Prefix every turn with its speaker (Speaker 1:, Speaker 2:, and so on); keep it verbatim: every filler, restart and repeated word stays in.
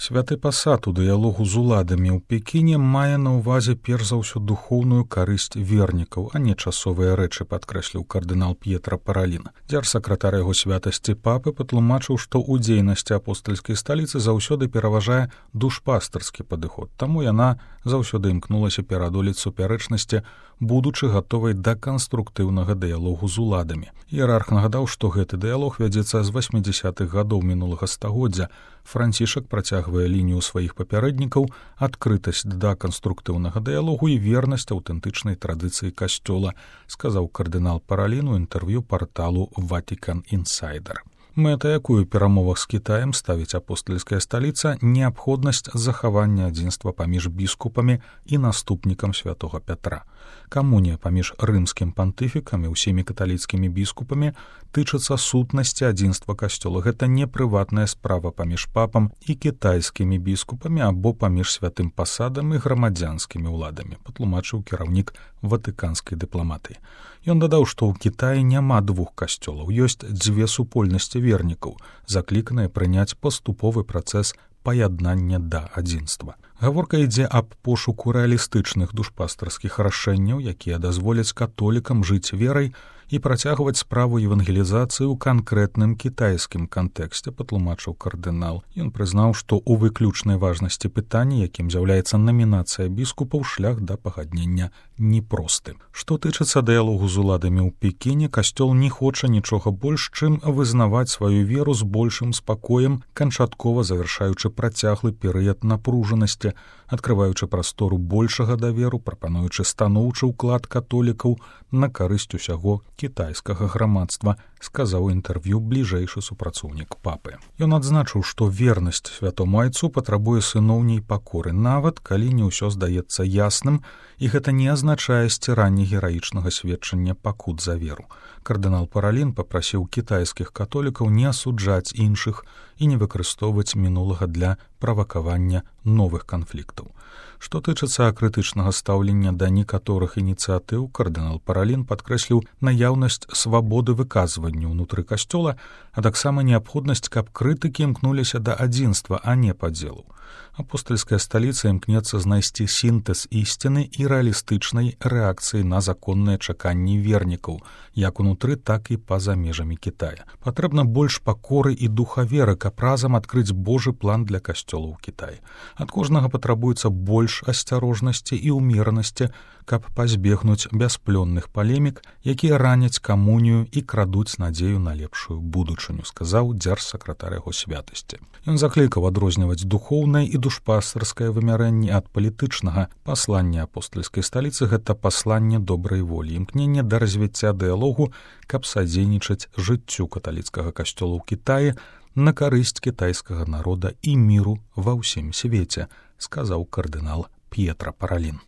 Speaker 1: Святы пасад у дыялогу з уладамі ў Пекіне мае на ўвазе перш за ўсё духоўную карысць вернікаў, а не часовыя рэчы, падкрэсліў кардынал П'етра Паралін. Дзяржсакратар яго святасці папы патлумачыў, што ў дзейнасці апостальскай сталіцы заўсёды пераважае душпастарскі падыход, таму яна заўсёды імкнулася пераадолець супярэчнасці, будучы гатовай да канструктыўнага дыялогу з уладамі. Іерарх нагадаў, што гэты дыялог вядзецца з васьмідзясятых гадоў мінулага стагоддзя. Францішак працягвае лінію сваіх папярэднікаў, адкрытасць да канструктыўнага дыялогу і вернасць аўтэнтычнай традыцыі касцёла, сказаў кардынал Паралін у інтэрв'ю парталу Vatican Insider. Мэта, якую ў перамовах з Кітаем ставіць апостальская сталіца, неабходнасць захавання адзінства паміж біскупамі і наступнікам святога Пятра. Камунія паміж рымскім пантыфікам і ўсімі каталіцкімі біскупамі тычыцца сутнасці адзінства касцёла. Гэта не прыватная справа паміж папам і кітайскімі біскупамі або паміж святым пасадам і грамадзянскімі ўладамі, патлумачыў кіраўнік ватыканскай дыпламатыі. Ён дадаў, што ў Кітаі няма двух касцёлаў, ёсць дзве супольнасці вернікаў, закліканыя прыняць паступовы працэс паяднання да адзінства. Гаворка ідзе аб пошуку рэалістычных душпастарскіх рашэнняў, якія дазволяць католікам жыць верай і працягваць справу евангелізацыі ў канкрэтным кітайскім кантэксце, патлумачыў кардынал. Ён прызнаў, што ў выключнай важнасці пытанні, якім з'яўляецца намінацыя біскупаў, шлях да пагаднення непросты. Што тычыцца дыялогу з уладамі ў Пекіне, касцёл не хоча нічога больш, чым вызнаваць сваю веру з большым спакоем, канчаткова завяршаючы працяглы перыяд напружанасці, адкрываючы прастору большага даверу, прапануючы станоўчы ўклад католікаў на карысць усяго кітайскага грамадства, сказаў у інтэрв'ю бліжэйшы супрацоўнік папы. Ён адзначыў, што вернасць святому айцу патрабуе сыноўняй пакоры, нават калі не ўсё здаецца ясным, і гэта не азначае сціранне гераічнага сведчання пакут за веру. Кардынал Паралін папрасіў кітайскіх католікаў не асуджаць іншых і не выкарыстоўваць мінулага для правакавання новых канфліктаў. Што тычыцца крытычнага стаўлення да некаторых ініцыятыў, кардынал Паралін падкрэсліў наяўнасць свабоды выказвання ўнутры касцёла, а таксама неабходнасць, каб крытыкі імкнуліся да адзінства, а не падзелу. Апостальская сталіца імкнецца знайсці сінтэз ісціны і рэалістычнай рэакцыі на законныя чаканні вернікаў, як унутры, так і па-за межамі Кітая. Патрэбна больш пакоры і духа веры, каб разам адкрыць Божы план для касцёла ў Кітаі. Ад кожнага патрабуецца больш асцярожнасці і ўмеранасці, каб пазбегнуць бясплённых палемік, якія раняць камунію і крадуць надзею на лепшую будучыню, сказаў дзяржсакратар яго святасці. Ён заклікаў адрозніваць духоўнае і душпастарскае вымярэнне ад палітычнага. Пасланне апостальскай сталіцы — гэта пасланне добрай волі, імкненне да развіцця дыялогу, каб садзейнічаць жыццю каталіцкага касцёла ў Кітаі на карысць кітайскага народа і міру ва ўсім свеце, сказаў кардынал П'етра Паралін.